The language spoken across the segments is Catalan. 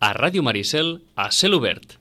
A Ràdio Maricel, a cel obert.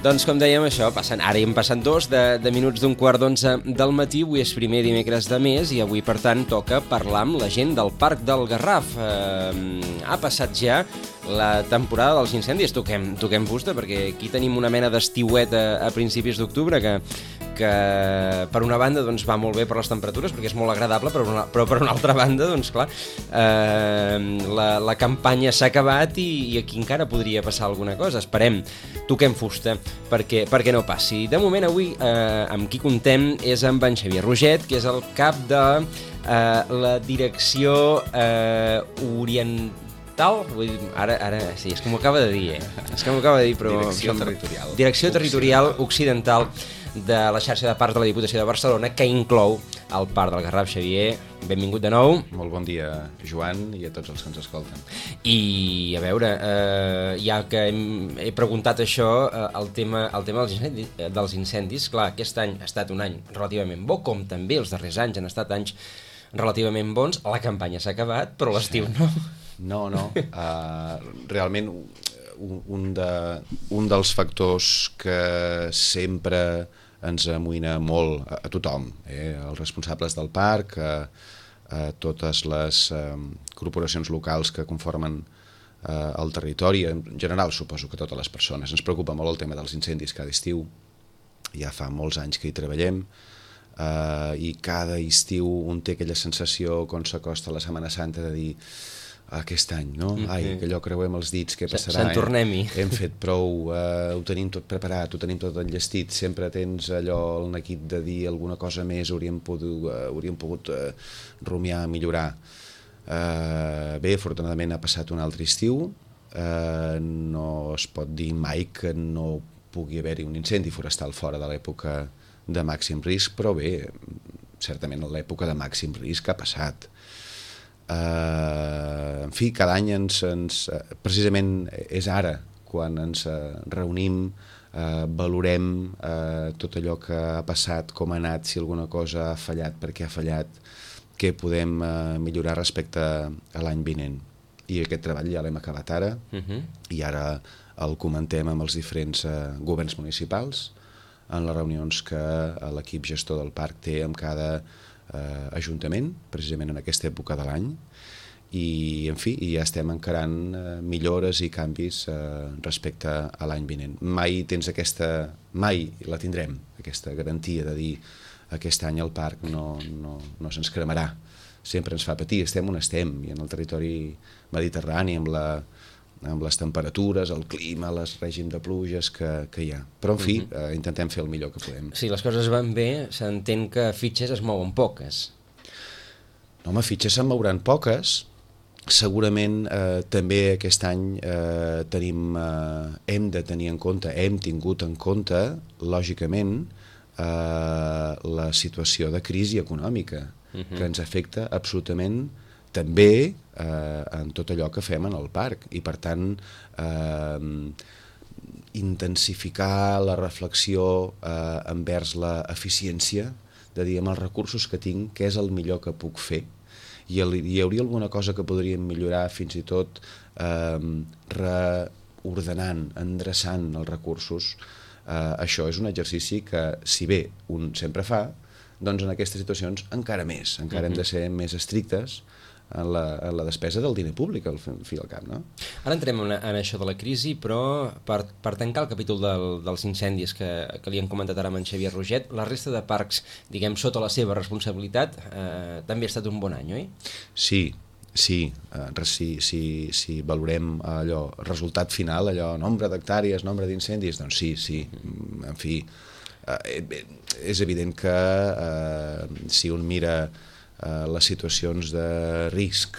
Doncs com dèiem, això, ara hem passat 2 de minuts d'un quart d'11 del matí, avui és primer dimecres de mes i avui, per tant, toca parlar amb la gent del Parc del Garraf. Ha passat ja la temporada dels incendis, toquem fusta, perquè aquí tenim una mena d'estiuet a principis d'octubre que per una banda doncs, va molt bé per les temperatures perquè és molt agradable, però per una altra banda doncs clar, la campanya s'ha acabat i aquí encara podria passar alguna cosa. Esperem, toquem fusta perquè no passi. De moment avui amb qui contem és amb en Xavier Roget, que és el cap de la direcció oriental. Ara sí, és que m'ho acaba de dir, però... Direcció Territorial Occidental de la xarxa de parcs de la Diputació de Barcelona, que inclou el Parc del Garraf. Xavier, benvingut de nou. Molt bon dia, Joan, i a tots els que ens escolten. I, a veure, ja que he preguntat això, el tema dels incendis, clar, aquest any ha estat un any relativament bo, com també els darrers anys han estat anys relativament bons. La campanya s'ha acabat, però l'estiu no. No. Realment, un dels factors que sempre ens amoïna molt a tothom, els responsables del parc, a totes les corporacions locals que conformen el territori, en general suposo que totes les persones. Ens preocupa molt el tema dels incendis cada estiu, ja fa molts anys que hi treballem, i cada estiu un té aquella sensació quan s'acosta la Setmana Santa de dir aquest any, no? Ai, que allò creuem els dits, què passarà? Se'n tornem-hi. Hem fet prou, ho tenim tot preparat, ho tenim tot enllestit, sempre tens allò, el neguit de dir alguna cosa més, hauríem pogut rumiar, millorar. Bé, afortunadament ha passat un altre estiu, no es pot dir mai que no pugui haver-hi un incendi forestal fora de l'època de màxim risc, però bé, certament l'època de màxim risc ha passat. En fi, cada any precisament és ara quan ens reunim, valorem tot allò que ha passat, com ha anat, si alguna cosa ha fallat, per què ha fallat, què podem millorar respecte a l'any vinent. I aquest treball ja l'hem acabat ara, i ara el comentem amb els diferents governs municipals en les reunions que l'equip gestor del parc té amb cada ajuntament, precisament en aquesta època de l'any, i en fi, ja estem encarant millores i canvis respecte a l'any vinent. Mai la tindrem, aquesta garantia de dir aquest any el parc no se'ns cremarà. Sempre ens fa patir, estem on estem, i en el territori mediterrani, amb les temperatures, el clima, el règim de pluges que hi ha. Però, en fi, intentem fer el millor que podem. Si les coses van bé, s'entén que fitxes es mouen poques. No, home, fitxes se'n mouran poques. Segurament també aquest any hem de tenir en compte, hem tingut en compte, lògicament, la situació de crisi econòmica, que ens afecta absolutament també en tot allò que fem en el parc, i per tant intensificar la reflexió envers l'eficiència, de dir amb els recursos que tinc què és el millor que puc fer, i hi hauria alguna cosa que podríem millorar, fins i tot reordenant, endreçant els recursos. Això és un exercici que, si bé un sempre fa, doncs en aquestes situacions encara més, encara hem de ser més estrictes en la despesa del diner públic, al fi i al cap, no? Ara entrem en això de la crisi, però per tancar el capítol dels incendis que li hem comentat ara amb en Xavier Roget, la resta de parcs, diguem, sota la seva responsabilitat, també ha estat un bon any, oi? Sí, si valorem allò, resultat final, allò, nombre d'hectàrees, nombre d'incendis, doncs sí, en fi, és evident que si un mira les situacions de risc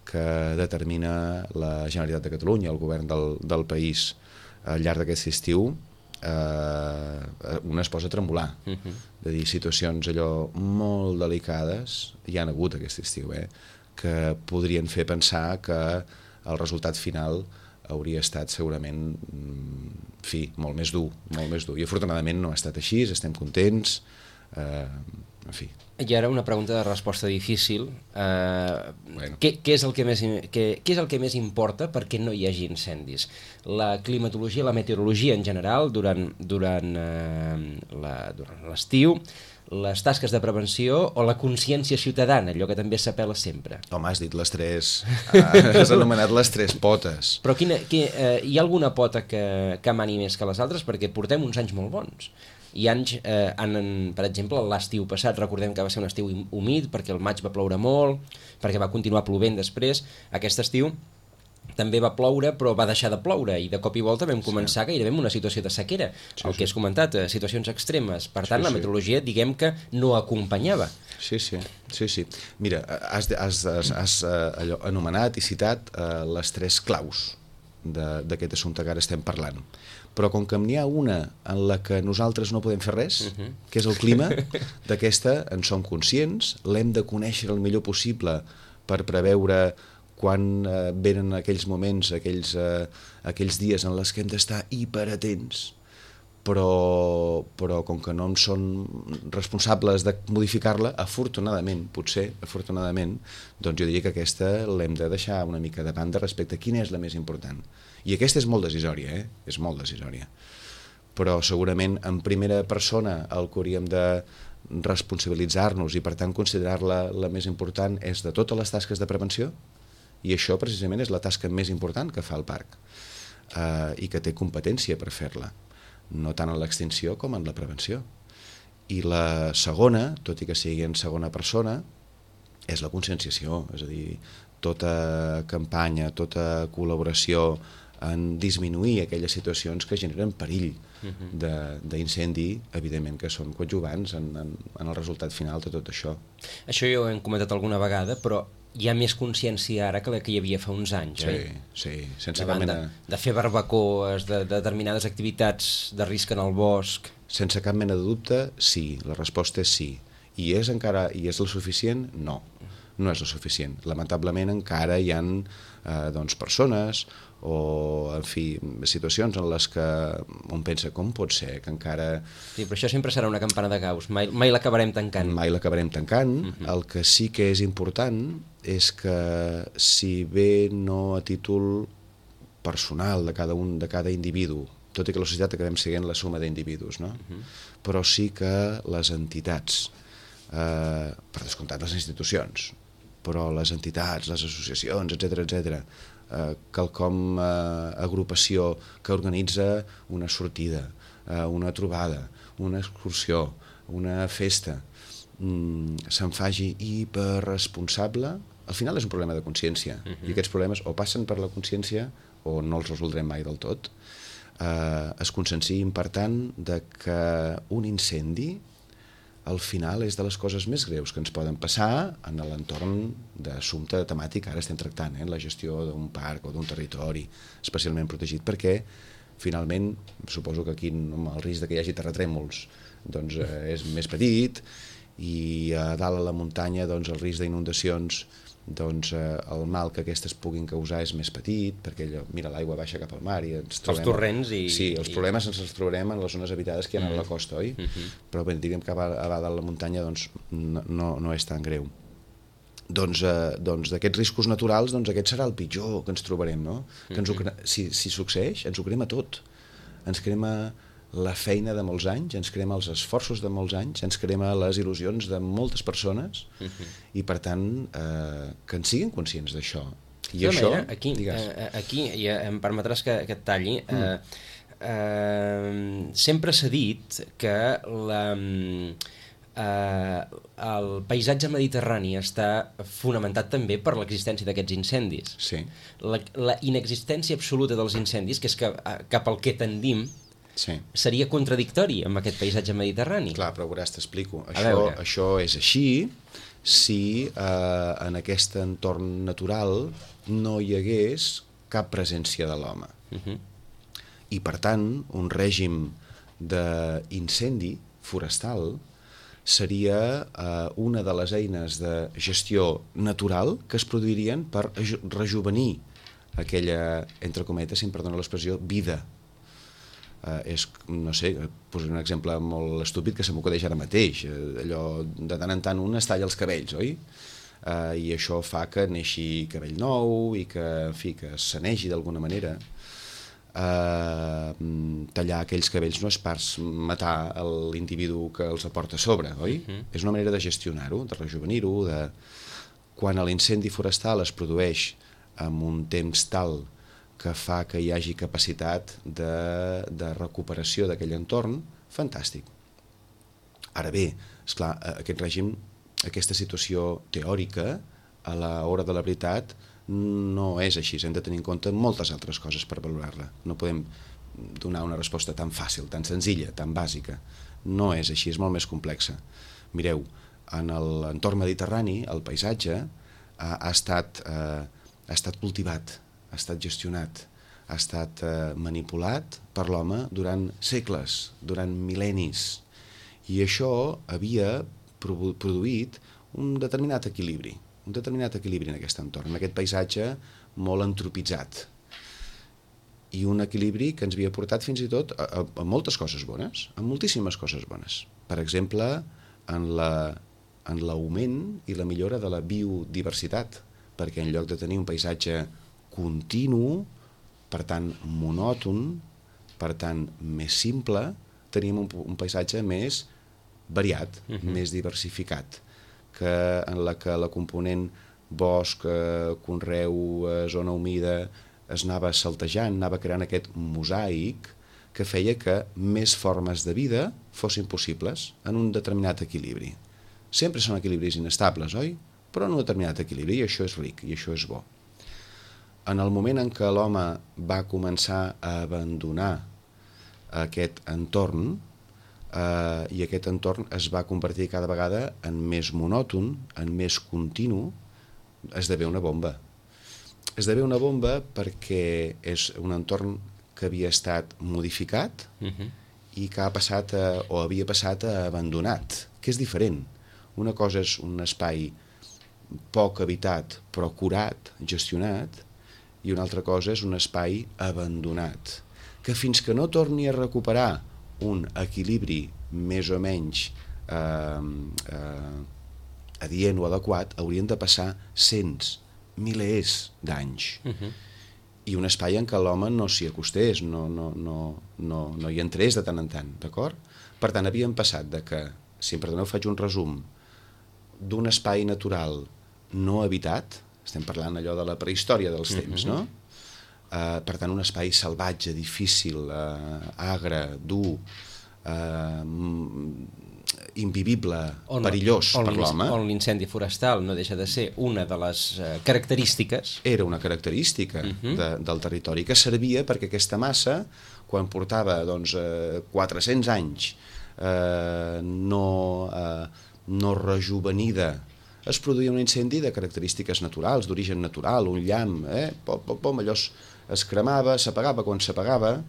que determina la Generalitat de Catalunya, el govern del país al llarg d'aquest estiu, una es posa a tremolar. De dir, situacions allò molt delicades hi han hagut aquest estiu, que podrien fer pensar que el resultat final hauria estat segurament molt més dur, i afortunadament no ha estat així, estem contents, en fi. I ara una pregunta de resposta difícil. Què és el que més importa perquè no hi hagi incendis? La climatologia, la meteorologia en general durant l'estiu, les tasques de prevenció o la consciència ciutadana, allò que també s'apel·la sempre? Home, has dit les tres, has anomenat les tres potes. Però hi ha alguna pota que mani més que les altres? Perquè portem uns anys molt bons. Hi ha anys, per exemple, l'estiu passat, recordem que va ser un estiu humit perquè el maig va ploure molt, perquè va continuar plovent després. Aquest estiu també va ploure, però va deixar de ploure i de cop i volta vam començar gairebé amb una situació de sequera, el que has comentat, situacions extremes. Per tant, la meteorologia, diguem que no acompanyava. Sí. Mira, has anomenat i citat les tres claus d'aquest assumpte que ara estem parlant. Però com que n'hi ha una en la que nosaltres no podem fer res, que és el clima, d'aquesta en som conscients, l'hem de conèixer el millor possible per preveure quan venen aquells moments, aquells dies en els que hem d'estar hiperatents, però com que no en són responsables de modificar-la, afortunadament, doncs jo diria que aquesta l'hem de deixar una mica de banda respecte a quina és la més important. I aquesta és molt decisòria, és molt decisòria. Però segurament en primera persona el que hauríem de responsabilitzar-nos i per tant considerar-la la més important és de totes les tasques de prevenció, i això precisament és la tasca més important que fa el parc i que té competència per fer-la, no tant en l'extinció com en la prevenció. I la segona, tot i que sigui en segona persona, és la conscienciació, és a dir, tota campanya, tota col·laboració en disminuir aquelles situacions que generen perill d'incendi, evidentment que són coadjuvants en el resultat final de tot això. Això ja ho hem comentat alguna vegada, però hi ha més consciència ara que la que hi havia fa uns anys, Sí, sense cap mena... De fer barbacoes, de determinades activitats de risc en el bosc... Sense cap mena de dubte, sí, la resposta és sí. I és el suficient? No, no és el suficient. Lamentablement encara hi ha persones o, en fi, situacions en les que un pensa com pot ser que encara... Sí, però això sempre serà una campana de Gauss, mai l'acabarem tancant. Mai l'acabarem tancant. El que sí que és important és que, si bé no a títol personal de cada individu, tot i que la societat acabem sent la suma d'individus, no? Però sí que les entitats, per descomptat les institucions, però les entitats, les associacions, etc., quelcom agrupació que organitza una sortida, una trobada, una excursió, una festa, se'n faci hiperresponsable, al final és un problema de consciència, i aquests problemes o passen per la consciència o no els resoldrem mai del tot. Es conscienciïn, per tant, de que un incendi al final és de les coses més greus que ens poden passar en l'entorn d'assumpte temàtic que ara estem tractant, la gestió d'un parc o d'un territori especialment protegit, perquè finalment suposo que aquí el risc que hi hagi terratrèmols doncs, és més petit, i a dalt a la muntanya doncs, el risc d'inundacions, doncs el mal que aquestes puguin causar és més petit, perquè l'aigua baixa cap al mar i ens trobem... Els torrents i... Sí, els problemes ens els trobarem en les zones habitades que hi ha a la costa, oi? Però bé, diguem que a dalt a la muntanya doncs, no és tan greu. Doncs d'aquests riscos naturals, doncs aquest serà el pitjor que ens trobarem, no? Que si succeeix, ens ho crema tot. Ens crema la feina de molts anys, ens crema els esforços de molts anys, ens crema les il·lusions de moltes persones, i per tant que en siguin conscients d'això. I això, aquí ja em permetràs que et talli, sempre s'ha dit que el paisatge mediterrani està fonamentat també per l'existència d'aquests incendis. Sí. La inexistència absoluta dels incendis, que és cap al que tendim, seria contradictori amb aquest paisatge mediterrani. Clar, però veuràs, t'explico. Això és així si en aquest entorn natural no hi hagués cap presència de l'home. I, per tant, un règim d'incendi forestal seria una de les eines de gestió natural que es produirien per rejuvenir aquella, entre cometes, si em perdona l'expressió, vida. No sé, posaré un exemple molt estúpid que se m'acudeix ara mateix. Allò, de tant en tant un es talla els cabells, oi? I això fa que neixi cabell nou i que, en fi, que es sanegi d'alguna manera. Tallar aquells cabells no és pas matar l'individu que els aporta a sobre, oi? És una manera de gestionar-ho, de rejuvenir-ho, quan l'incendi forestal es produeix amb un temps tal que fa que hi hagi capacitat de recuperació d'aquell entorn, fantàstic. Ara bé, esclar, aquest règim, aquesta situació teòrica, a l'hora de la veritat, no és així. Hem de tenir en compte moltes altres coses per valorar-la. No podem donar una resposta tan fàcil, tan senzilla, tan bàsica. No és així, és molt més complexa. Mireu, en l'entorn mediterrani, el paisatge ha estat cultivat, ha estat gestionat, ha estat manipulat per l'home durant segles, durant mil·lennis. I això havia produït un determinat equilibri en aquest entorn, en aquest paisatge molt antropitzat. I un equilibri que ens havia portat fins i tot a moltes coses bones, a moltíssimes coses bones. Per exemple, en l'augment i la millora de la biodiversitat, perquè en lloc de tenir un paisatge continu, per tant monòton, per tant més simple, teníem un paisatge més variat, més diversificat, en la que la component bosc, conreu, zona humida, es anava saltejant, anava creant aquest mosaic que feia que més formes de vida fossin possibles en un determinat equilibri. Sempre són equilibris inestables, oi? Però en un determinat equilibri, i això és ric, i això és bo. En el moment en què l'home va començar a abandonar aquest entorn, i aquest entorn es va convertir cada vegada en més monòton, en més continu, esdevé una bomba. Esdevé una bomba perquè és un entorn que havia estat modificat i que havia passat a abandonat, que és diferent. Una cosa és un espai poc habitat però curat, gestionat, i una altra cosa és un espai abandonat, que fins que no torni a recuperar un equilibri més o menys adient o adequat, haurien de passar cents, milers d'anys. I un espai en què l'home no s'hi acostés, no hi entrés de tant en tant, d'acord? Per tant, havíem passat de que, si em perdoneu faig un resum, d'un espai natural no habitat, estem parlant allò de la prehistòria dels temps, no? Per tant, un espai salvatge, difícil, agre, dur, invivible, perillós per l'home. On l'incendi forestal no deixa de ser una de les característiques. Era una característica del territori que servia perquè aquesta massa, quan portava 400 anys no rejuvenida, es produïa un incendi de característiques naturals, d'origen natural, un llamp, allò es cremava, s'apagava quan s'apagava,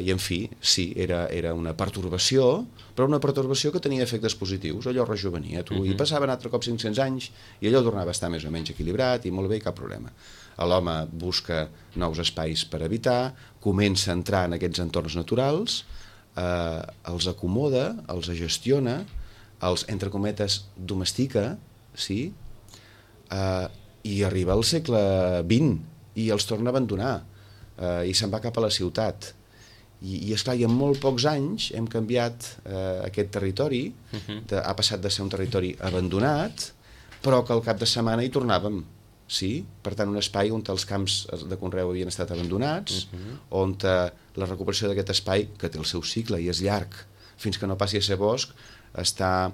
i en fi, sí, era una pertorbació, però una pertorbació que tenia efectes positius, allò rejuvenia, i passaven altre cop 500 anys i allò tornava a estar més o menys equilibrat i molt bé, cap problema. L'home busca nous espais per habitar, comença a entrar en aquests entorns naturals, els acomoda, els gestiona, els, entre cometes, domestica, sí, i arriba al segle XX i els torna a abandonar, i se'n va cap a la ciutat. I esclar, i en molt pocs anys hem canviat aquest territori, ha passat de ser un territori abandonat, però que al cap de setmana hi tornàvem. Sí? Per tant, un espai on els camps de conreu havien estat abandonats, on la recuperació d'aquest espai, que té el seu cicle i és llarg, fins que no passi a ser bosc, està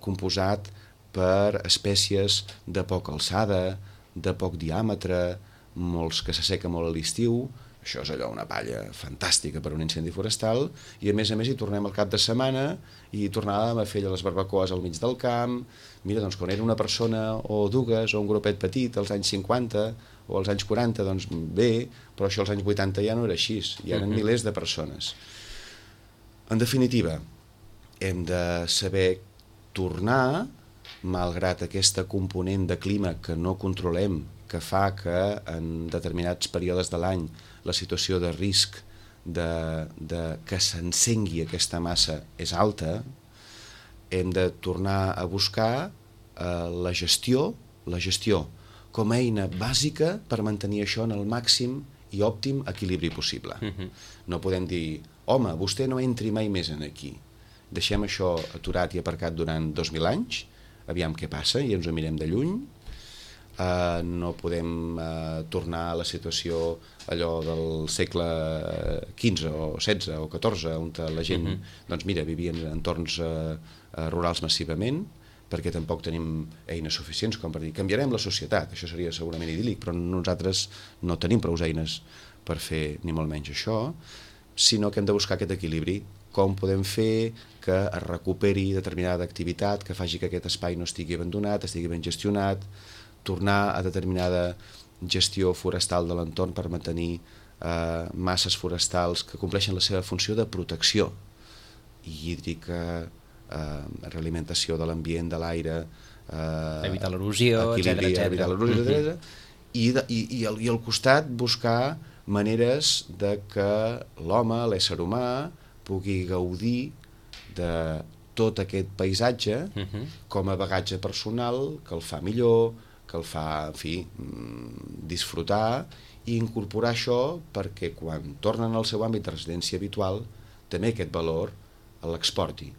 composat per espècies de poca alçada, de poc diàmetre, molts que s'asseca molt a l'estiu, Això és allò, una palla fantàstica per un incendi forestal, i a més hi tornem al cap de setmana i tornàvem a fer les barbacoes al mig del camp. Mira, doncs quan era una persona o dues o un grupet petit als anys 50 o als anys 40, doncs bé, però això als anys 80 ja no era així, hi eren milers de persones. En definitiva, hem de saber tornar, malgrat aquesta component de clima que no controlem, que fa que en determinats períodes de l'any la situació de risc de que s'encengui aquesta massa és alta, hem de tornar a buscar la gestió com a eina bàsica per mantenir això en el màxim i òptim equilibri possible. No podem dir, home, vostè no entri mai més en aquí, deixem això aturat i aparcat durant 2.000 anys, aviam què passa i ens ho mirem de lluny. No podem tornar a la situació allò del segle XV o XVI o XIV, on la gent doncs mira, vivia en entorns rurals massivament, perquè tampoc tenim eines suficients com per dir canviarem la societat, això seria segurament idíl·lic, però nosaltres no tenim prou eines per fer ni molt menys això, sinó que hem de buscar aquest equilibri. Com podem fer que es recuperi determinada activitat, que faci que aquest espai no estigui abandonat, estigui ben gestionat, tornar a determinada gestió forestal de l'entorn per mantenir masses forestals que compleixen la seva funció de protecció hídrica, realimentació de l'ambient, de l'aire, evitar l'erosió, etc. I al costat buscar maneres de que l'home, l'ésser humà, pugui gaudir de tot aquest paisatge com a bagatge personal que el fa millor, que el fa, en fi, disfrutar i incorporar això perquè quan tornen al seu àmbit de residència habitual també aquest valor l'exporti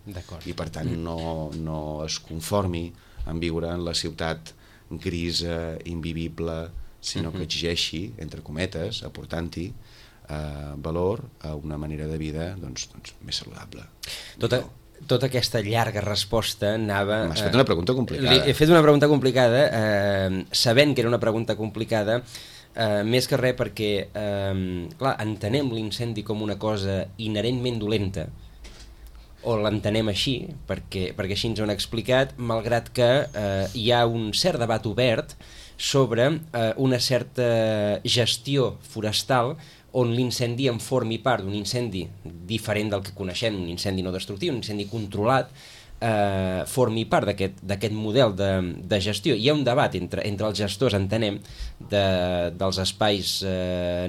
i per tant no es conformi en viure en la ciutat grisa, invivible, sinó que exigeixi, entre cometes, aportant-hi valor a una manera de vida doncs, més saludable. Tota aquesta llarga resposta anava... M'has fet una pregunta complicada. He fet una pregunta complicada, sabent que era una pregunta complicada, més que res perquè, clar, entenem l'incendi com una cosa inherentment dolenta, o l'entenem així, perquè així ens ho han explicat, malgrat que hi ha un cert debat obert sobre una certa gestió forestal on l'incendi en formi part d'un incendi diferent del que coneixem, un incendi no destructiu, un incendi controlat, formi part d'aquest model de gestió. Hi ha un debat entre els gestors, entenem, dels espais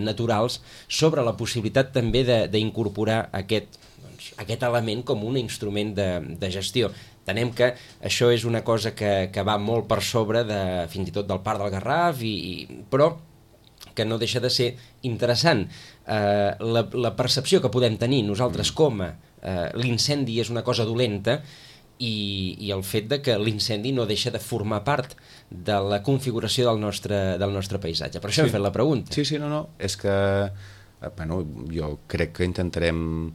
naturals sobre la possibilitat també d'incorporar aquest element com un instrument de gestió. Entenem que això és una cosa que va molt per sobre fins i tot del Parc del Garraf, però que no deixa de ser interessant. La percepció que podem tenir nosaltres com l'incendi és una cosa dolenta i el fet de que l'incendi no deixa de formar part de la configuració del nostre paisatge. Per això hem fet la pregunta. Sí, no. És que jo crec que intentarem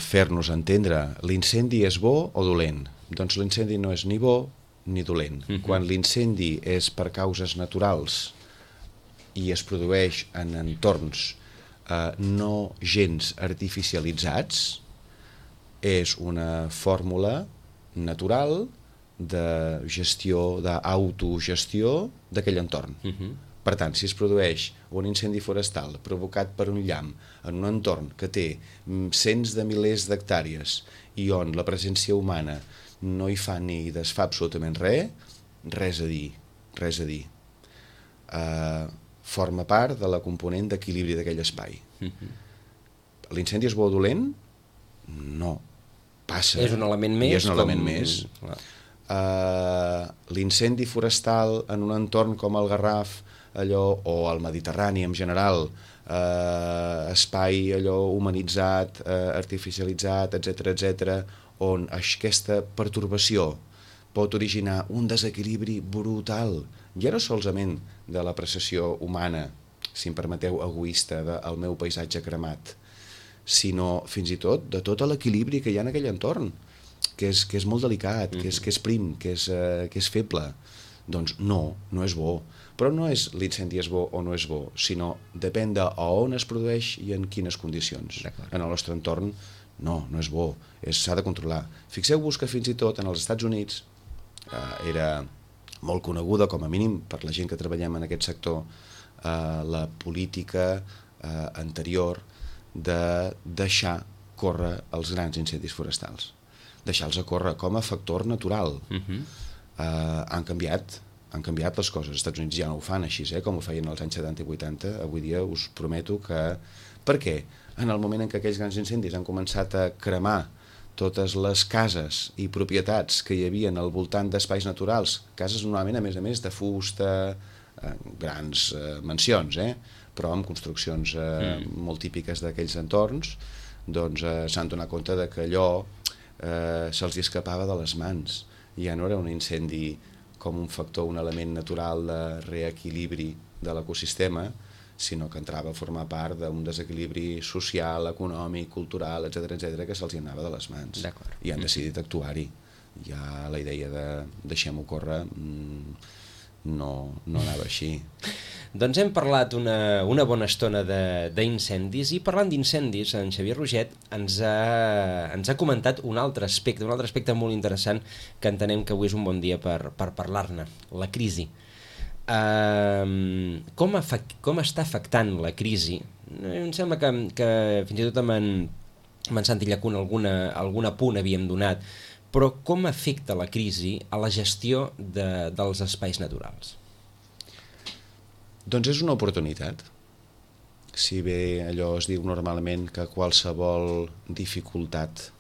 fer-nos entendre. L'incendi és bo o dolent? Doncs l'incendi no és ni bo ni dolent. Quan l'incendi és per causes naturals i es produeix en entorns no gens artificialitzats, és una fórmula natural de gestió, d'autogestió d'aquell entorn. Per tant, si es produeix un incendi forestal provocat per un llamp en un entorn que té cents de milers d'hectàrees i on la presència humana no hi fa ni desfà absolutament res a dir. Forma part de la component d'equilibri d'aquell espai. L'incendi és bo o dolent? No. Passa. És un element més. I és un element més. L'incendi forestal en un entorn com el Garraf, o al Mediterrani en general, espai humanitzat, artificialitzat, etc., on aquesta pertorbació pot originar un desequilibri brutal, ja no solament de l'apreciació humana, si em permeteu, egoista, del meu paisatge cremat, sinó fins i tot de tot l'equilibri que hi ha en aquell entorn, que és molt delicat, que és prim, que és feble. Doncs no és bo. Però no és l'incendi és bo o no és bo, sinó depèn de on es produeix i en quines condicions. En el nostre entorn no és bo, s'ha de controlar. Fixeu-vos que fins i tot en els Estats Units era molt coneguda, com a mínim per la gent que treballem en aquest sector, la política anterior de deixar córrer els grans incendis forestals, deixar-los a córrer com a factor natural. Han canviat les coses. Els Estats Units ja no ho fan així, com ho feien als anys 70 i 80. Avui dia us prometo que... Per què? En el moment en què aquells grans incendis han començat a cremar totes les cases i propietats que hi havia al voltant d'espais naturals, cases normalment a més de fusta, grans mansions, però amb construccions molt típiques d'aquells entorns, doncs s'han donat compte que allò se'ls escapava de les mans. Ja no era un incendi com un factor, un element natural de reequilibri de l'ecosistema, sinó que entrava a formar part d'un desequilibri social, econòmic, cultural, etc que se'ls anava de les mans. I han decidit actuar-hi. Ja la idea de deixem-ho córrer no anava així. Doncs hem parlat una bona estona d'incendis, i parlant d'incendis, en Xavier Roget ens ha comentat un altre aspecte molt interessant que entenem que avui és un bon dia per parlar-ne, la crisi. Com està afectant la crisi? Em sembla que fins i tot amb en Santi Llacuna algun apunt havíem donat, però com afecta la crisi a la gestió dels espais naturals? Doncs és una oportunitat. Si bé allò es diu normalment que qualsevol dificultat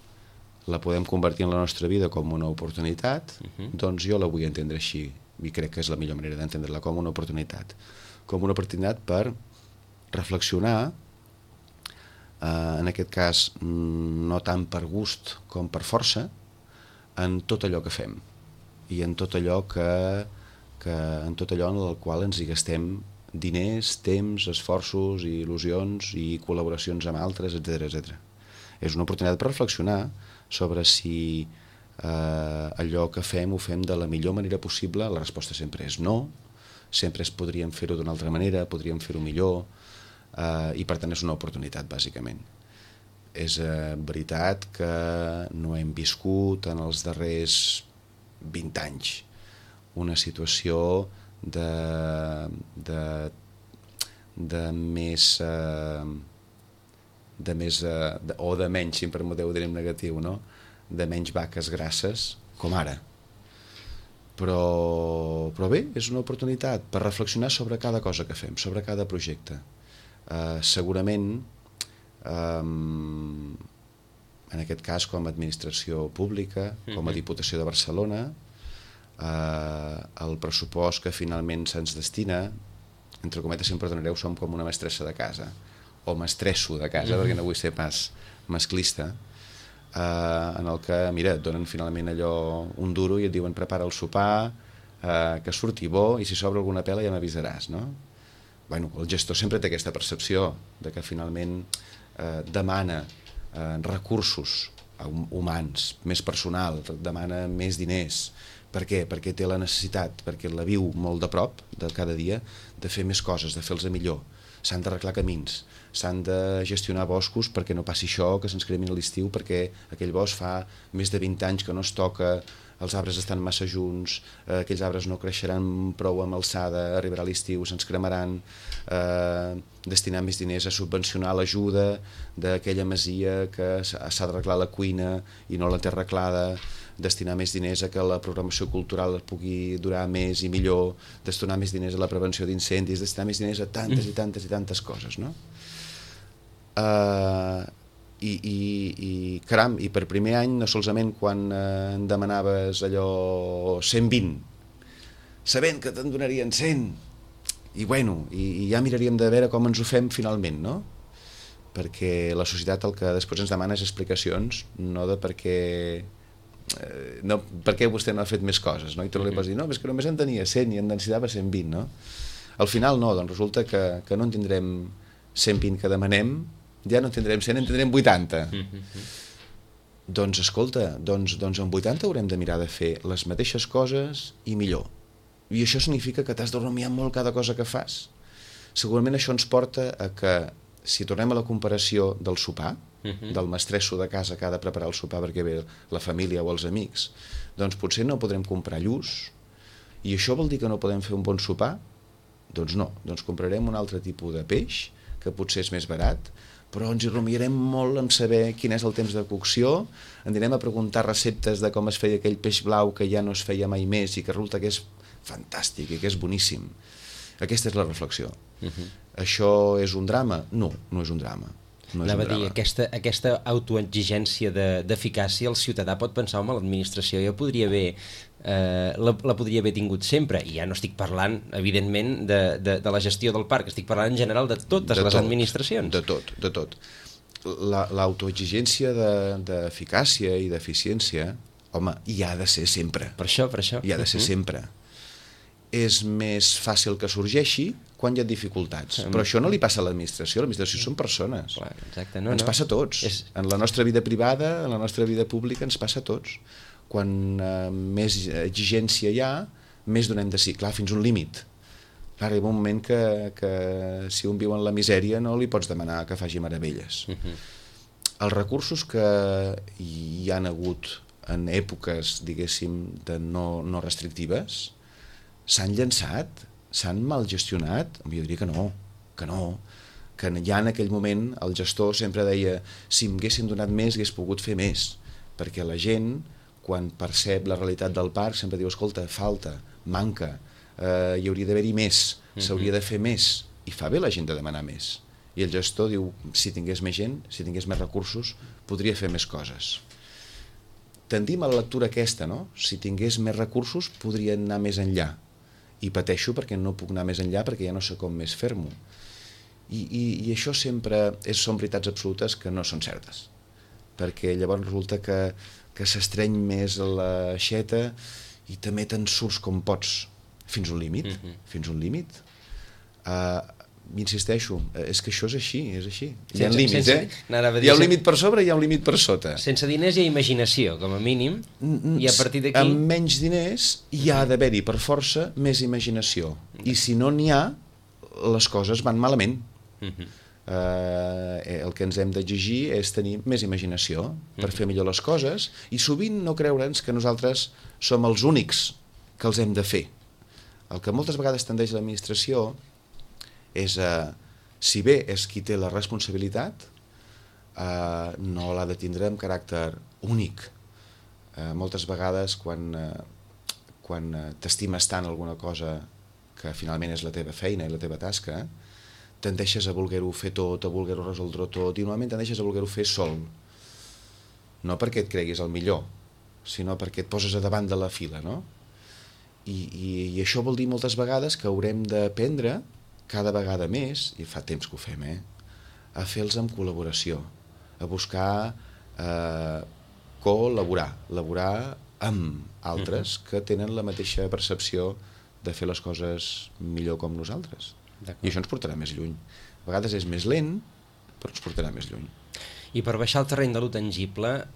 la podem convertir en la nostra vida com una oportunitat, doncs jo la vull entendre així, i crec que és la millor manera d'entendre-la, com una oportunitat. Com una oportunitat per reflexionar, en aquest cas no tant per gust com per força, en tot allò que fem i en tot allò en el qual ens hi gastem diners, temps, esforços, il·lusions i col·laboracions amb altres, etc. És una oportunitat per reflexionar sobre si allò que fem ho fem de la millor manera possible. La resposta sempre és no, sempre podríem fer-ho d'una altra manera, podríem fer-ho millor, i per tant és una oportunitat, bàsicament. És veritat que no hem viscut en els darrers 20 anys una situació de més o de menys, si em permeteu dir en negatiu, no? De menys vaques grasses com ara, però bé, és una oportunitat per reflexionar sobre cada cosa que fem, sobre cada projecte. Segurament en aquest cas com a administració pública, com a Diputació de Barcelona, el pressupost que finalment se'ns destina, entre cometes, si em perdonareu, som com una mestressa de casa, o mestresso de casa, perquè no vull ser pas masclista, en el que, mira, et donen finalment allò un duro i et diuen prepara el sopar, que surti bo, i si sobra alguna pela ja m'avisaràs, no? Bueno, el gestor sempre té aquesta percepció de que finalment demana recursos humans, més personal, demana més diners. Per què? Perquè té la necessitat, perquè la viu molt de prop, de cada dia, de fer més coses, de fer-los millor. S'han d'arreglar camins, s'han de gestionar boscos perquè no passi això, que se'ns cremin a l'estiu, perquè aquell bosc fa més de 20 anys que no es toca, els arbres estan massa junts, aquells arbres no creixeran prou amb alçada, arribarà l'estiu, se'ns cremaran, destinar més diners a subvencionar l'ajuda d'aquella masia que s'ha d'arreglar la cuina i no la té arreglada, destinar més diners a que la programació cultural pugui durar més i millor, destinar més diners a la prevenció d'incendis, destinar més diners a tantes i tantes i tantes coses, no? I caram, i per primer any, no solament quan em demanaves allò 120, sabent que te'n donarien 100, i bueno, i ja miraríem de veure com ens ho fem finalment, no? Perquè la societat el que després ens demana és explicacions, no de per què vostè no ha fet més coses, no? I tu li pots dir, no, és que només en tenia 100 i en necessitava 120, no? Al final no, doncs resulta que no en tindrem 120 que demanem, ja no en tindrem 100, en tindrem 80. Doncs escolta, doncs en 80 haurem de mirar de fer les mateixes coses i millor. I això significa que t'has de rumiar molt cada cosa que fas. Segurament això ens porta a que, si tornem a la comparació del sopar, del mestresso de casa que ha de preparar el sopar perquè ve la família o els amics, doncs potser no podrem comprar lluç, i això vol dir que no podem fer un bon sopar? Doncs no, doncs comprarem un altre tipus de peix, que potser és més barat, però ens hi rumiarem molt en saber quin és el temps de cocció, anirem a preguntar receptes de com es feia aquell peix blau que ja no es feia mai més i que resulta que és fantàstic i que és boníssim. Aquesta és la reflexió. Això és un drama? No, no és un drama. No Anava a dir, aquesta autoexigència d'eficàcia, el ciutadà pot pensar, home, l'administració ja podria haver la podria haver tingut sempre, i ja no estic parlant evidentment de la gestió del parc, estic parlant en general de totes les administracions. De tot. L'autoexigència d'eficàcia i d'eficiència, home, hi ha de ser sempre. Per això. Hi ha de ser sempre. És més fàcil que sorgeixi quan hi ha dificultats. Però això no li passa a l'administració són persones. Clar, exacte. Ens passa a tots. En la nostra vida privada, en la nostra vida pública, ens passa a tots. Quan més exigència hi ha, més donem de sí. Clar, fins un límit. Clar, hi ha un moment que si un viu en la misèria no li pots demanar que faci meravelles. Els recursos que hi han hagut en èpoques, diguéssim, de no restrictives, s'han llançat, s'han mal gestionat? Jo diria que no, que ja en aquell moment el gestor sempre deia si m'haguessin donat més hagués pogut fer més, perquè la gent quan percep la realitat del parc sempre diu escolta, falta, manca, hi hauria d'haver-hi més, s'hauria de fer més, i fa bé la gent de demanar més, i el gestor diu si tingués més gent, si tingués més recursos podria fer més coses. Tendim a la lectura aquesta, no? Si tingués més recursos podria anar més enllà, i pateixo perquè no puc anar més enllà perquè ja no sé com més fer-m'ho. I això sempre són veritats absolutes que no són certes, perquè llavors resulta que s'estreny més l'aixeta i també te'n surts com pots, fins un límit, Insisteixo, és que això és així, Hi ha límits, Hi ha un límit per sobre i hi ha un límit per sota. Sense diners hi ha imaginació, com a mínim, i a partir d'aquí... Amb menys diners hi ha d'haver-hi per força més imaginació. I si no n'hi ha, les coses van malament. El que ens hem d'exigir és tenir més imaginació per fer millor les coses i sovint no creure'ns que nosaltres som els únics que els hem de fer. El que moltes vegades tendeix l'administració és, si bé és qui té la responsabilitat, no l'ha de tindre amb caràcter únic. Moltes vegades quan t'estimes tant alguna cosa que finalment és la teva feina i la teva tasca, tendeixes a voler-ho fer tot, a voler-ho resoldre tot, i normalment tendeixes a voler-ho fer sol. No perquè et creguis el millor, sinó perquè et poses a davant de la fila, no? I això vol dir moltes vegades que haurem d'aprendre cada vegada més, i fa temps que ho fem, a fer-los amb col·laboració, a buscar col·laborar amb altres que tenen la mateixa percepció de fer les coses millor com nosaltres. I això ens portarà més lluny. A vegades és més lent, però ens portarà més lluny. I per baixar al terreny de lo tangible,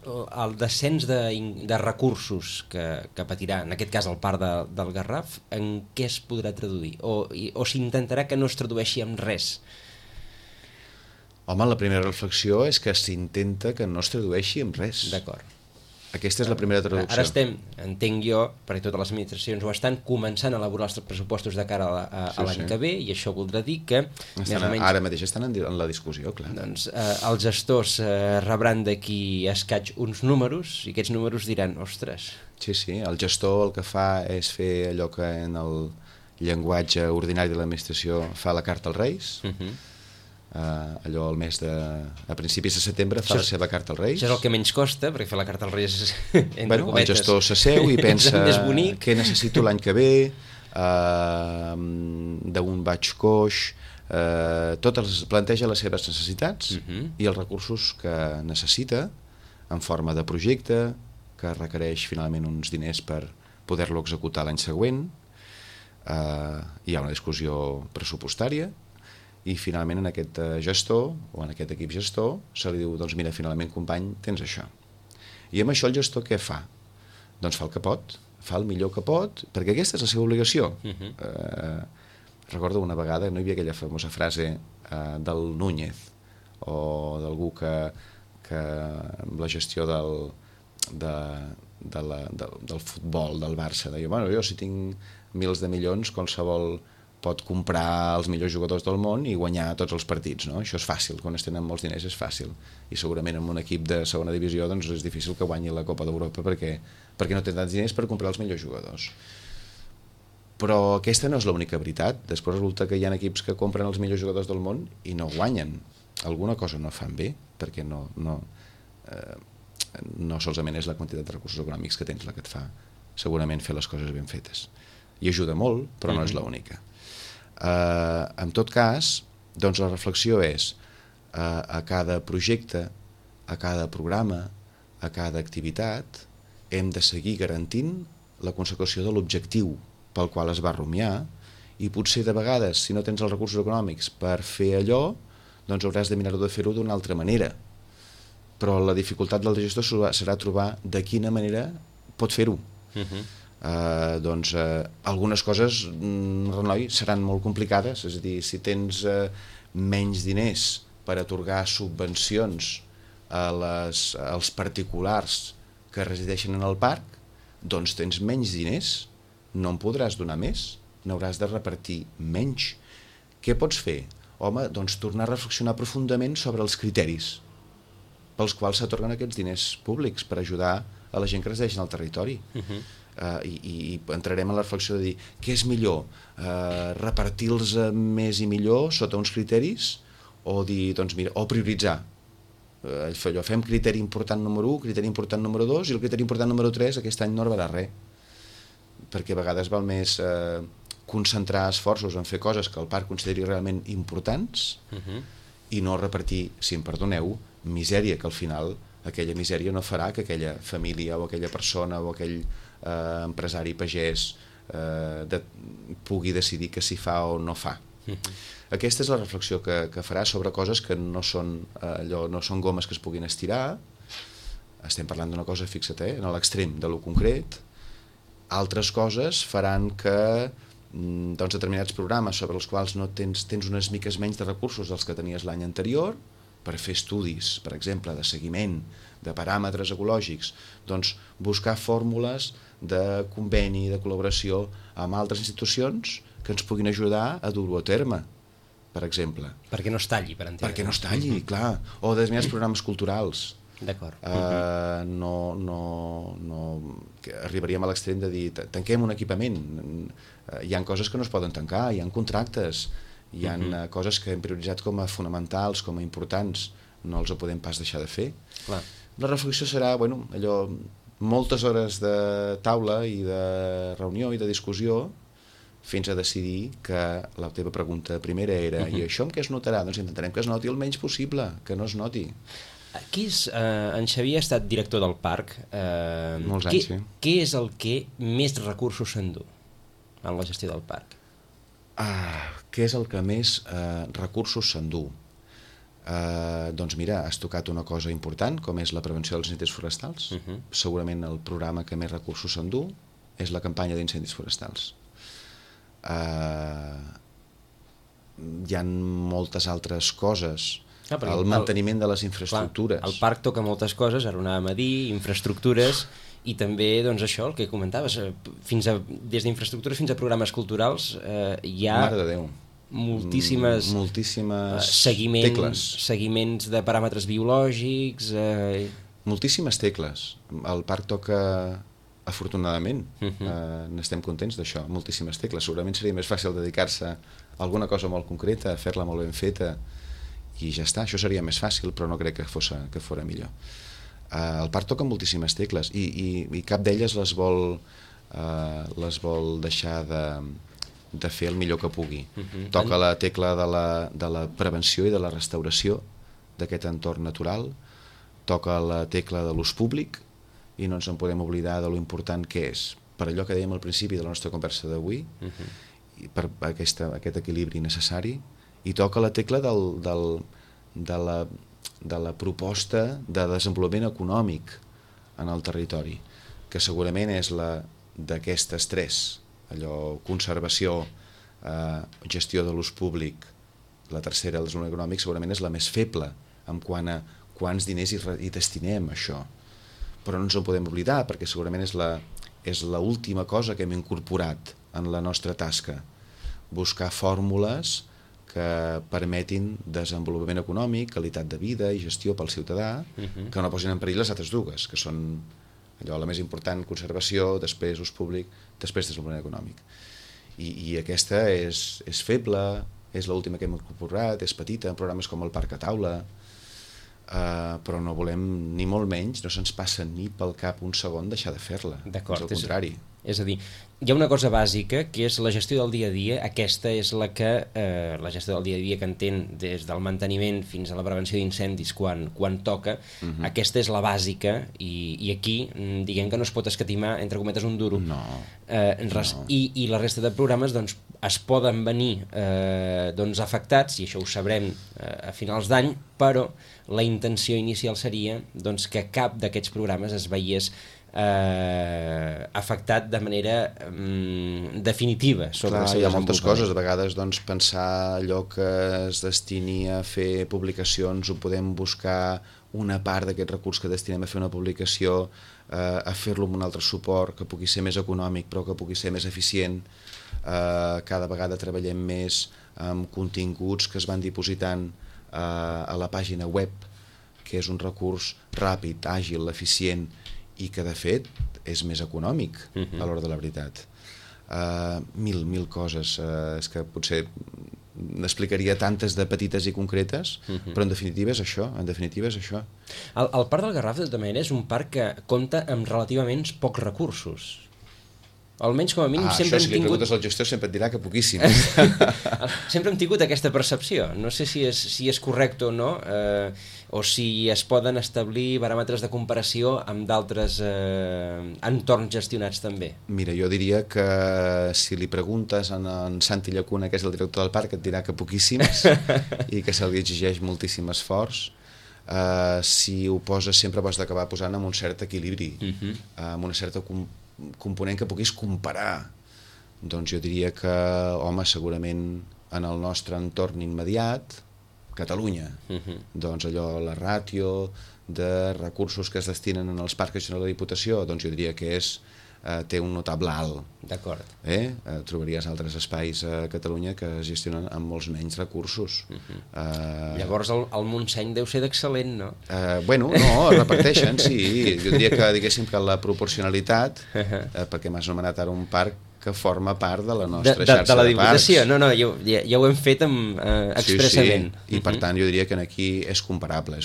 el descens de recursos que patirà, en aquest cas el parc del Garraf, en què es podrà traduir? O s'intentarà que no es tradueixi en res? Home, la primera reflexió és que s'intenta que no es tradueixi en res. D'acord. Aquesta és la primera traducció. Ara estem, entenc jo, perquè totes les administracions ho estan començant a elaborar els pressupostos de cara a l'any que ve, i això voldrà dir que... Ara mateix estan en la discussió, clar. Doncs els gestors rebran d'aquí escaig uns números, i aquests números diran, ostres... Sí, el gestor el que fa és fer allò que en el llenguatge ordinari de l'administració fa la carta als Reis, allò al mes a principis de setembre fa la seva carta als Reis. Això és el que menys costa, perquè fer la carta als Reis entre cometes. El gestor s'asseu i pensa què necessito l'any que ve, d'on vaig coix, planteja les seves necessitats i els recursos que necessita en forma de projecte que requereix finalment uns diners per poder-lo executar l'any següent. Hi ha una discussió pressupostària i finalment en aquest gestor o en aquest equip gestor se li diu, doncs mira, finalment company, tens això. I amb això el gestor què fa? Doncs fa el que pot, fa el millor que pot, perquè aquesta és la seva obligació. Recordo una vegada, no hi havia aquella famosa frase del Núñez, o d'algú que amb la gestió del futbol del Barça deia, bueno, jo si tinc mils de milions, qualsevol pot comprar els millors jugadors del món i guanyar tots els partits, no? Això és fàcil, quan es tenen molts diners és fàcil, i segurament en un equip de segona divisió doncs és difícil que guanyi la Copa d'Europa perquè no té tants diners per comprar els millors jugadors. Però aquesta no és l'única veritat. Després resulta que hi ha equips que compren els millors jugadors del món i no guanyen. Alguna cosa no fan bé, perquè no solament és la quantitat de recursos econòmics que tens la que et fa segurament fer les coses ben fetes. I ajuda molt, però no és l'única. En tot cas, doncs la reflexió és a cada projecte, a cada programa, a cada activitat, hem de seguir garantint la consecució de l'objectiu pel qual es va rumiar, i potser de vegades, si no tens els recursos econòmics per fer allò, doncs hauràs de mirar-ho de fer-ho d'una altra manera. Però la dificultat del gestor serà trobar de quina manera pot fer-ho. Algunes coses, Renoi, seran molt complicades, és a dir, si tens menys diners per atorgar subvencions als particulars que resideixen en el parc, doncs tens menys diners, no en podràs donar més, n'hauràs de repartir menys. Què pots fer? Home, doncs tornar a reflexionar profundament sobre els criteris pels quals s'atorguen aquests diners públics per ajudar a la gent que resideix en el territori. I entrarem en la reflexió de dir què és millor, repartir-los més i millor sota uns criteris, o dir, doncs mira, o prioritzar. Fem criteri important número 1, criteri important número 2, i el criteri important número 3 aquest any no arribarà res, perquè a vegades val més concentrar esforços en fer coses que el parc consideri realment importants i no repartir, si em perdoneu, misèria, que al final aquella misèria no farà que aquella família o aquella persona o aquell empresari pagès pugui decidir que s'hi fa o no fa. Aquesta és la reflexió que farà sobre coses que no són gomes que es puguin estirar. Estem parlant d'una cosa, fixa't, en l'extrem de lo concret. Altres coses faran que determinats programes sobre els quals no tens unes miques menys de recursos dels que tenies l'any anterior, per fer estudis, per exemple, de seguiment, de paràmetres ecològics, doncs buscar fórmules de conveni, de col·laboració amb altres institucions que ens puguin ajudar a dur-ho a terme, per exemple. Perquè no es talli, per entendre. Perquè no es talli, clar. O determinats programes culturals. D'acord. Arribaríem a l'extrem de dir tanquem un equipament. Hi ha coses que no es poden tancar, hi ha contractes, hi ha coses que hem prioritzat com a fonamentals, com a importants, no els podem pas deixar de fer. Clar. La reflexió serà, moltes hores de taula i de reunió i de discussió fins a decidir que la teva pregunta primera era i això en què es notarà? Doncs intentarem que es noti el menys possible, que no es noti. En Xavier ha estat director del parc. Molts anys, sí. Què és el que més recursos s'endú en la gestió del parc? Què és el que més recursos s'endú? Doncs mira, has tocat una cosa important, com és la prevenció dels incendis forestals. Segurament el programa que més recursos s'endú és la campanya d'incendis forestals. Hi ha moltes altres coses, el manteniment de les infraestructures. El parc toca moltes coses, ara ho anàvem a dir, infraestructures, i també doncs això, el que comentaves, des d'infraestructures fins a programes culturals hi ha Mare de Déu. moltíssimes seguiments de paràmetres biològics, moltíssimes tecles. El parc toca, afortunadament, n'estem contents d'això, moltíssimes tecles. Segurament seria més fàcil dedicar-se a alguna cosa molt concreta, fer-la molt ben feta i ja està, això seria més fàcil, però no crec que fora millor. El parc toca moltíssimes tecles i cap d'elles les vol deixar de fer el millor que pugui. Toca la tecla de la prevenció i de la restauració d'aquest entorn natural, toca la tecla de l'ús públic i no ens en podem oblidar de lo important que és, per allò que dèiem al principi de la nostra conversa d'avui, per aquest equilibri necessari, i toca la tecla de la proposta de desenvolupament econòmic en el territori, que segurament és la d'aquestes tres, allò, conservació, gestió de l'ús públic, la tercera, el desenvolupament econòmic, segurament és la més feble en quant a quants diners hi destinem a això. Però no ens en podem oblidar, perquè segurament és l'última cosa que hem incorporat en la nostra tasca, buscar fórmules que permetin desenvolupament econòmic, qualitat de vida i gestió pel ciutadà, que no posin en perill les altres dues, que són allò, la més important, conservació, després ús públic, després desenvolupament econòmic. I aquesta és feble, és l'última que hem incorporat, és petita, en programes com el Parc a Taula, però no volem, ni molt menys, no se'ns passa ni pel cap un segon deixar de fer-la. D'acord, és el contrari. És a dir, hi ha una cosa bàsica que és la gestió del dia a dia. Aquesta és la que la gestió del dia a dia que entén des del manteniment fins a la prevenció d'incendis quan toca. Aquesta és la bàsica i aquí diguem que no es pot escatimar, entre cometes, un duro. No. I la resta de programes doncs, es poden venir afectats, i això ho sabrem a finals d'any, però la intenció inicial seria doncs, que cap d'aquests programes es veiés afectat de manera definitiva sobre el seu desenvolupament. Hi ha moltes coses, a vegades doncs, pensar allò que es destini a fer publicacions, ho podem buscar una part d'aquest recurs que destinem a fer una publicació, a fer-lo amb un altre suport que pugui ser més econòmic però que pugui ser més eficient. Cada vegada treballem més amb continguts que es van dipositant a la pàgina web, que és un recurs ràpid, àgil, eficient i que de fet és més econòmic a l'hora de la veritat. Mil coses, és que potser n'explicaria tantes de petites i concretes, però en definitiva és això, El Parc del Garraf, de tota manera, és un parc que compta amb relativament pocs recursos. Almenys com a mínim sempre hem tingut... Això, si li preguntes al gestor sempre et dirà que poquíssims. Sempre hem tingut aquesta percepció. No sé si és correcte o no, o si es poden establir baròmetres de comparació amb d'altres entorns gestionats també. Mira, jo diria que si li preguntes a en Santi Llacuna, que és el director del parc, et dirà que poquíssims i que se li exigeix moltíssim esforç. Si ho poses sempre ho has d'acabar posant amb un cert equilibri, amb una certa component que puguis comparar. Doncs jo diria que, home, segurament en el nostre entorn immediat, Catalunya, doncs allò, la ràtio de recursos que es destinen en els parcs de la Diputació, doncs jo diria que té un notable alt. D'acord. Trobaries altres espais a Catalunya que es gestionen amb molts menys recursos. Llavors el Montseny deu ser d'excel·lent, no? Bueno, no, es reparteixen, sí. Jo diria que, diguéssim, que la proporcionalitat, perquè m'has anomenat ara un parc que forma part de la nostra xarxa de parcs. De la Diputació, no, ja ho hem fet expressament. Sí, i per tant jo diria que aquí és comparable.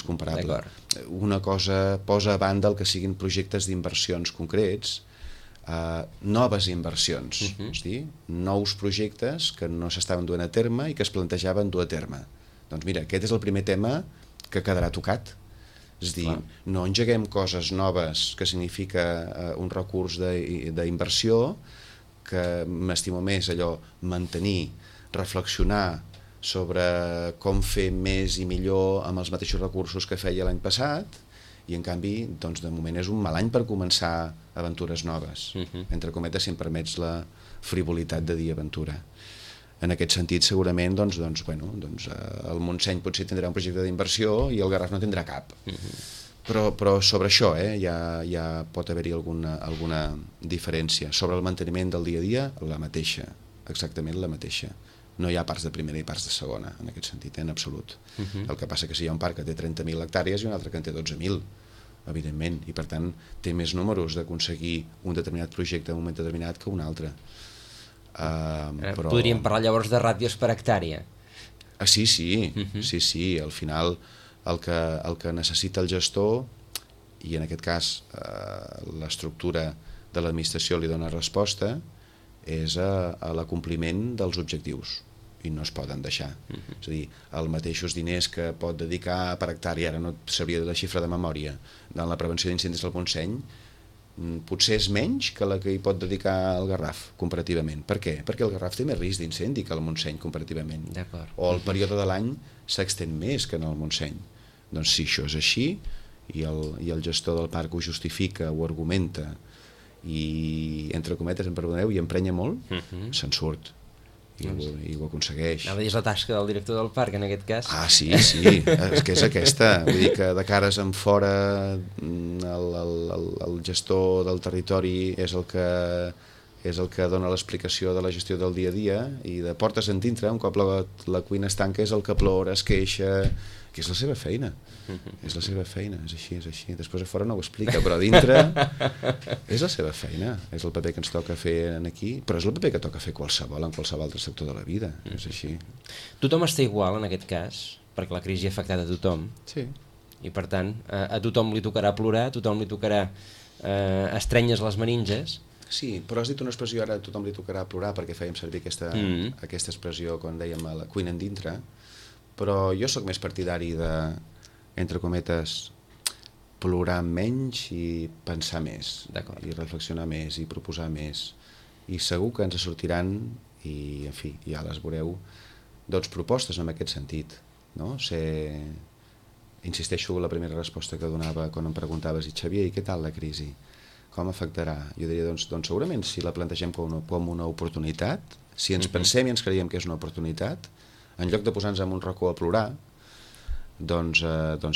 Una cosa posa a banda el que siguin projectes d'inversions concrets, noves inversions, és a dir, nous projectes que no s'estaven duent a terme i que es plantejaven dur a terme. Doncs mira, aquest és el primer tema que quedarà tocat. És a dir, no engeguem coses noves, que significa un recurs d'inversió, que m'estimo més allò, mantenir, reflexionar sobre com fer més i millor amb els mateixos recursos que feia l'any passat, i en canvi, doncs, de moment és un mal any per començar aventures noves. Entre cometes, si em permets la frivolitat de dir aventura. En aquest sentit, segurament, el Montseny potser tindrà un projecte d'inversió i el Garraf no tindrà cap. Però sobre això ja pot haver-hi alguna diferència. Sobre el manteniment del dia a dia, la mateixa, exactament la mateixa. No hi ha parcs de primera i parcs de segona, en aquest sentit, en absolut. El que passa que si hi ha un parc que té 30.000 hectàrees i un altre que en té 12.000, evidentment, i per tant té més números d'aconseguir un determinat projecte en un moment determinat que un altre. Podríem parlar llavors de ràtios per hectàrea. Sí, al final el que necessita el gestor, i en aquest cas l'estructura de l'administració li dona resposta, és a l'acompliment dels objectius, i no es poden deixar. És a dir, els mateixos diners que pot dedicar per hectàrea, ara no sabria la xifra de memòria, en la prevenció d'incendis del Montseny, potser és menys que la que hi pot dedicar el Garraf, comparativament. Per què? Perquè el Garraf té més risc d'incendi que el Montseny, comparativament. O el període de l'any s'extén més que en el Montseny. Doncs si això és així, i el gestor del parc ho justifica, ho argumenta, i entre cometes, em perdoneu, i emprenya molt, se'n surt. I ho aconsegueix. Anava a dir, és la tasca del director del parc, en aquest cas. Ah, sí, és que és aquesta. Vull dir que de cares en fora el gestor del territori és el que dona l'explicació de la gestió del dia a dia, i de portes en dintre, un cop la cuina es tanca, és el que plora, es queixa, que és la seva feina. És la seva feina, és així. Després a fora no ho explica, però a dintre és la seva feina. És el paper que ens toca fer aquí, però és el paper que toca fer en qualsevol altre sector de la vida. És així. Tothom està igual, en aquest cas, perquè la crisi ha afectat a tothom. Sí. I per tant, a tothom li tocarà plorar, a tothom li tocarà estrenyes les meninges. Sí, però has dit una expressió, ara a tothom li tocarà plorar, perquè fèiem servir aquesta expressió quan dèiem a la cuina en dintre, però jo sóc més partidari de, entre cometes, plorar menys i pensar més, i reflexionar més, i proposar més, i segur que ens sortiran, i en fi, ja les veureu, doncs propostes en aquest sentit, no? Insisteixo en la primera resposta que donava quan em preguntaves, i Xavier, i què tal la crisi? Com afectarà? Jo diria, doncs segurament si la plantegem com una oportunitat, si ens pensem i ens creiem que és una oportunitat, en lloc de posar-nos en un racó a plorar, doncs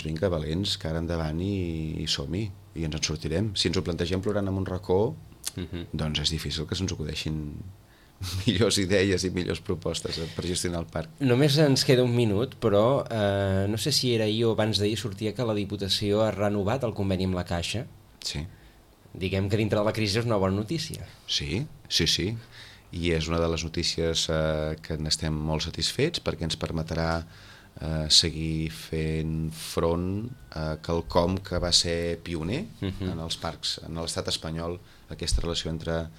vinga, valents, cara endavant i som-hi, i ens en sortirem. Si ens ho plantegem plorant en un racó, doncs és difícil que se'ns acudeixin millors idees i millors propostes per gestionar el parc. Només ens queda un minut, però no sé si era ahir o abans d'ahir sortia que la Diputació ha renovat el conveni amb la Caixa. Sí. Diguem que dintre de la crisi és una bona notícia. Sí. I és una de les notícies que n'estem molt satisfets, perquè ens permetrà seguir fent front a quelcom que va ser pioner en els parcs, en l'estat espanyol. Aquesta relació entre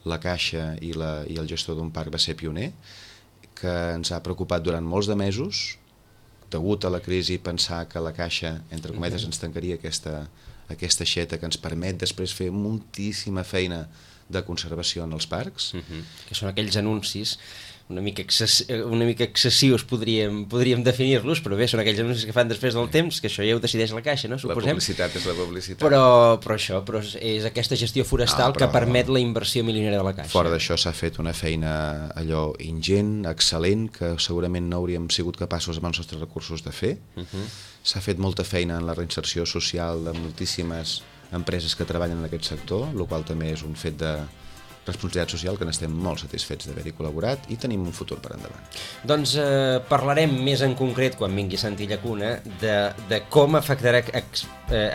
la Caixa i el gestor d'un parc va ser pioner, que ens ha preocupat durant molts de mesos, degut a la crisi, pensar que la Caixa, entre cometes, ens tancaria aquesta aixeta que ens permet després fer moltíssima feina de conservació en els parcs. Que són aquells anuncis una mica excessius, podríem definir-los, però bé, són aquells anuncis que fan després del temps, que això ja ho decideix la Caixa, no? Suposem. La publicitat és la publicitat. Però és aquesta gestió forestal que permet la inversió milionària de la Caixa. Fora d'això s'ha fet una feina allò ingent, excel·lent, que segurament no hauríem sigut capaços amb els nostres recursos de fer. S'ha fet molta feina en la reinserció social de moltíssimes empreses que treballen en aquest sector, el qual també és un fet de responsabilitat social que n'estem molt satisfets d'haver-hi col·laborat i tenim un futur per endavant. Doncs parlarem més en concret, quan vingui Santi Llacuna, de com afectarà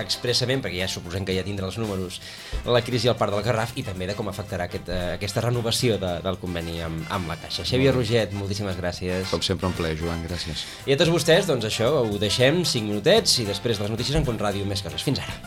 expressament, perquè ja suposem que ja tindrà els números, la crisi al Parc del Garraf, i també de com afectarà aquesta renovació del conveni amb la Caixa. Xavier Roget, moltíssimes gràcies. Com sempre, un plaer, Joan, gràcies. I a tots vostès, doncs això, ho deixem 5 minutets i després de les notícies en Ràdio Més Coses. Fins ara.